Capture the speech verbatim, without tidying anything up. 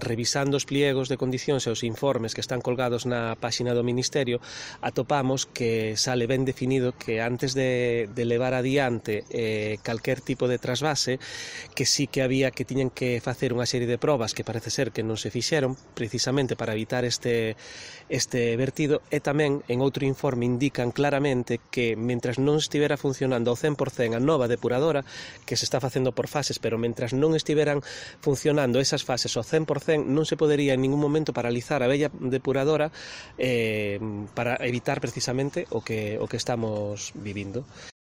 revisando os pliegos de condicións e os informes que están colgados na páxina do Ministerio, atopamos que sale ben definido que antes de, de levar adiante eh, calquer tipo de trasvase, que sí que había que tiñen que facer unha serie de probas que parece ser que non se fixeron precisamente para evitar este, este vertido, e tamén en outro informe indican claramente que mentras non estivera funcionando ao cen por cen a nova depuradora, que se está facendo por fases, pero mentras non estiveran funcionando esas fases ao cen por cen non se podería en ningún momento paralizar a bella depuradora eh, para evitar precisamente o que, o que estamos vivindo.